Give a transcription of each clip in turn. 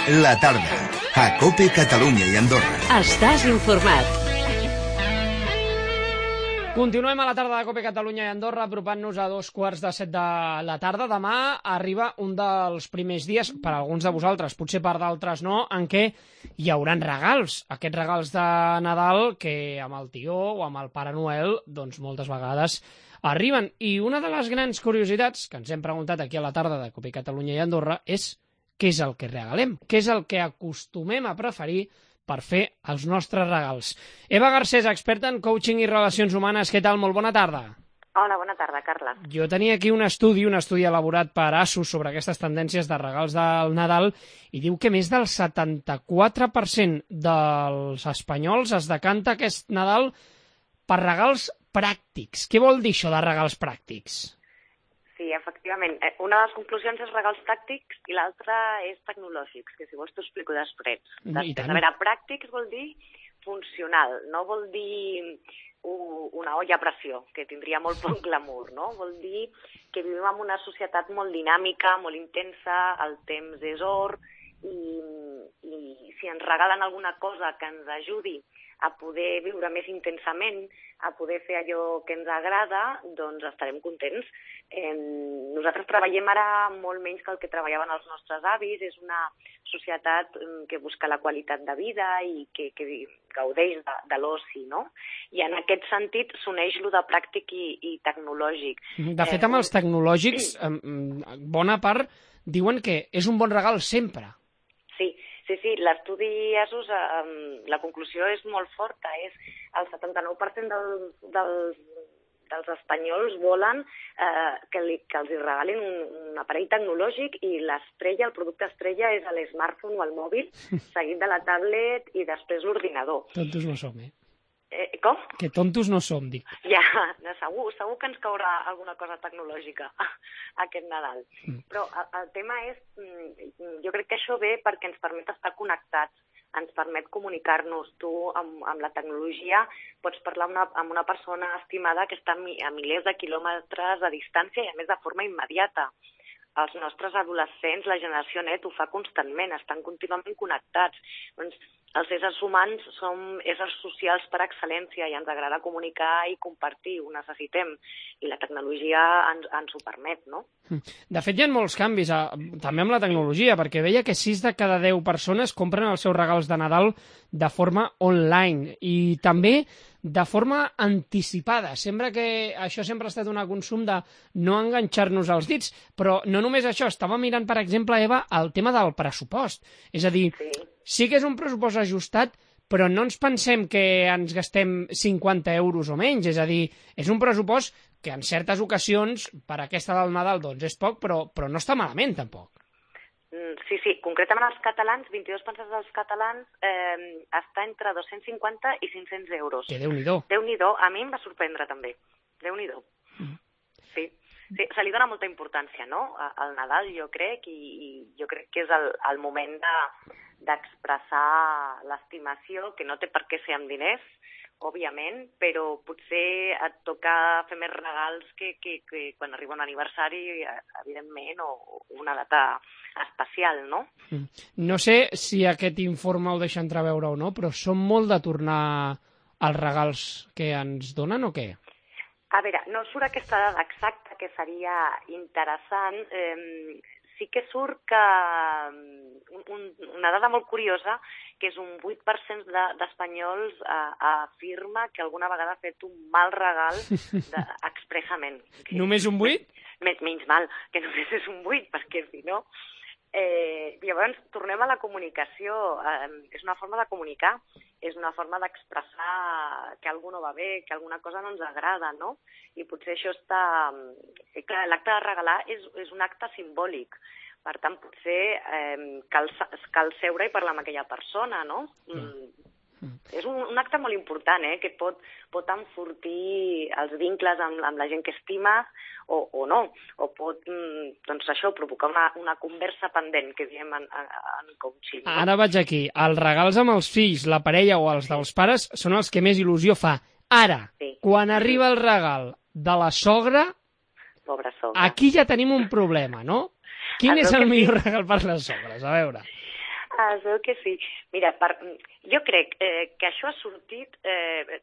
La tarda, a COPE Catalunya i Andorra. Estàs informat. Continuem a la tarda de COPE Catalunya i Andorra, apropant-nos a 2:15 de la tarda. Demà arriba un dels primers dies, per a alguns de vosaltres, potser per d'altres no, en què hi hauran regals. Aquests regals de Nadal que amb el tió o amb el Pare Noel, doncs moltes vegades arriben. I una de les grans curiositats que ens hem preguntat aquí a la tarda de COPE Catalunya i Andorra és què és el que regalem, què és el que acostumem a preferir per fer els nostres regals. Eva Garcés, experta en coaching i relacions humanes, què tal? Molt bona tarda. Hola, bona tarda, Carla. Jo tenia aquí un estudi elaborat per ASUS sobre aquestes tendències de regals del Nadal i diu que més del 74% dels espanyols es decanta aquest Nadal per regals pràctics. Què vol dir això de regals pràctics? Sí, efectivament. Una de les conclusions és regals pràctics i l'altra és tecnològics, que si vols t'ho explico després. A veure, pràctics vol dir funcional, no vol dir una olla a pressió, que tindria molt poc glamour, no? Vol dir que vivim en una societat molt dinàmica, molt intensa, el temps és or, i si ens regalen alguna cosa que ens ajudi a poder viure més intensament, a poder fer allò que ens agrada, doncs estarem contents. Nosaltres treballem ara molt menys que el que treballaven els nostres avis, és una societat que busca la qualitat de vida i que gaudeix de l'oci, no? I en aquest sentit s'uneix lo de pràctic i tecnològic. De fet, amb els tecnològics, bona part diuen que és un bon regal sempre. Sí, l'estudi ASUS, la conclusió és molt forta, és el 79% dels espanyols volen que els regalin un aparell tecnològic i l'estrella, el producte estrella és l'smartphone o el mòbil, seguit de la tablet i després l'ordinador. Tontos no som, Com? Que tontos no som, dic. Ja, segur que ens caurà alguna cosa tecnològica aquest Nadal. Però el tema és, jo crec que això ve perquè ens permet estar connectats, ens permet comunicar-nos. Tu, amb la tecnologia, pots parlar amb una persona estimada que està a milers de quilòmetres de distància i, a més, de forma immediata. Els nostres adolescents, la generació net, ho fa constantment, estan contínuament connectats. Doncs els éssers humans som éssers socials per excel·lència i ens agrada comunicar i compartir, ho necessitem, i la tecnologia ens ho permet, no? De fet, hi ha molts canvis, també amb la tecnologia, perquè veia que 6 de cada 10 persones compren els seus regals de Nadal de forma online i també de forma anticipada. Sembla que això sempre ha estat un consum de no enganxar-nos als dits, però no només això, estava mirant, per exemple, Eva, el tema del pressupost. És a dir, sí que és un pressupost ajustat, però no ens pensem que ens gastem 50 euros o menys, és a dir, és un pressupost que en certes ocasions, per aquesta del Nadal, doncs és poc, però no està malament, tampoc. Sí, concretament els catalans, 22% dels catalans està entre 250 i 500 euros. Que Déu-n'hi-do. Déu-n'hi-do, a mi em va sorprendre també. Déu-n'hi-do. Sí, se li dona molta importància, no?, al Nadal, jo crec, i jo crec que és el moment d'expressar l'estimació, que no té per què ser amb diners, òbviament, però potser et toca fer més regals que quan arriba un aniversari, evidentment, o una data especial, no? No sé si aquest informe ho deixa entreveure o no, però són molt de tornar els regals que ens donen o què? A veure, no surt aquesta dada exacta, que seria interessant. Sí que surt que una dada molt curiosa, que és un 8% d'espanyols afirma que alguna vegada ha fet un mal regal expressament. Només un 8? Menys mal, que només és un 8, perquè si no... Llavors, tornem a la comunicació. És una forma de comunicar, és una forma d'expressar que alguna no va bé, que alguna cosa no ens agrada, no? I potser això està... Clar, l'acte de regalar és un acte simbòlic. Per tant, potser cal seure i parlar amb aquella persona, no? És un acte molt important, que pot enfortir els vincles amb la gent que estimes o no, o pot, doncs això, provocar una conversa pendent, que diem en coaching. No? Ara vaig aquí. Els regals amb els fills, la parella o els dels pares són els que més il·lusió fa. Ara, quan arriba el regal de la sogra, pobra sogra, aquí ja tenim un problema, no? Quin és el millor regal per les sogres? A veure. Es veu que sí. Mira, jo crec que això ha sortit...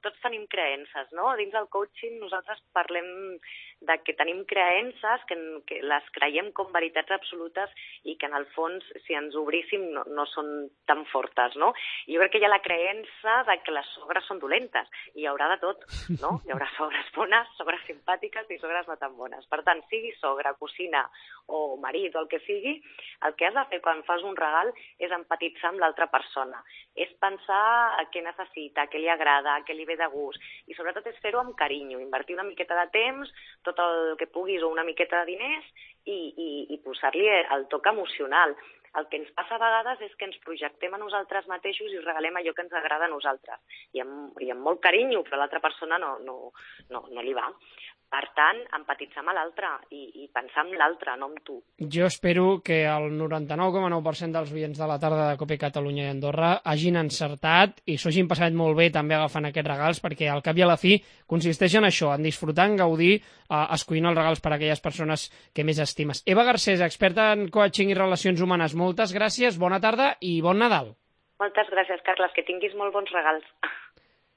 tots tenim creences, no? Dins del coaching nosaltres parlem de que tenim creences, que les creiem com veritats absolutes i que en el fons, si ens obríssim, no són tan fortes, no? Jo crec que hi ha la creença de que les sogres són dolentes, i hi haurà de tot, no? Hi haurà sogres bones, sogres simpàtiques i sogres no tan bones. Per tant, sigui sogra, cosina o marit o el que sigui, el que has de fer quan fas un regal és empatitzar amb l'altra persona, és pensar què necessita, què li agrada, què li ve de gust, i sobretot és fer-ho amb carinyo, invertir una miqueta de temps, tot el que puguis o una miqueta de diners i posar-li el toc emocional. El que ens passa a vegades és que ens projectem a nosaltres mateixos i regalem allò que ens agrada a nosaltres, i amb molt carinyo, però a l'altra persona no li va. Per tant, empatitzar amb l'altre i pensar en l'altre, no en tu. Jo espero que el 99,9% dels oients de la tarda de Cope Catalunya i Andorra hagin encertat i s'ho hagin passat molt bé també agafant aquests regals, perquè al cap i a la fi consisteix en això, en disfrutar, en gaudir, escollint els regals per a aquelles persones que més estimes. Eva Garcés, experta en coaching i relacions humanes, moltes gràcies, bona tarda i bon Nadal. Moltes gràcies, Carles, que tinguis molt bons regals.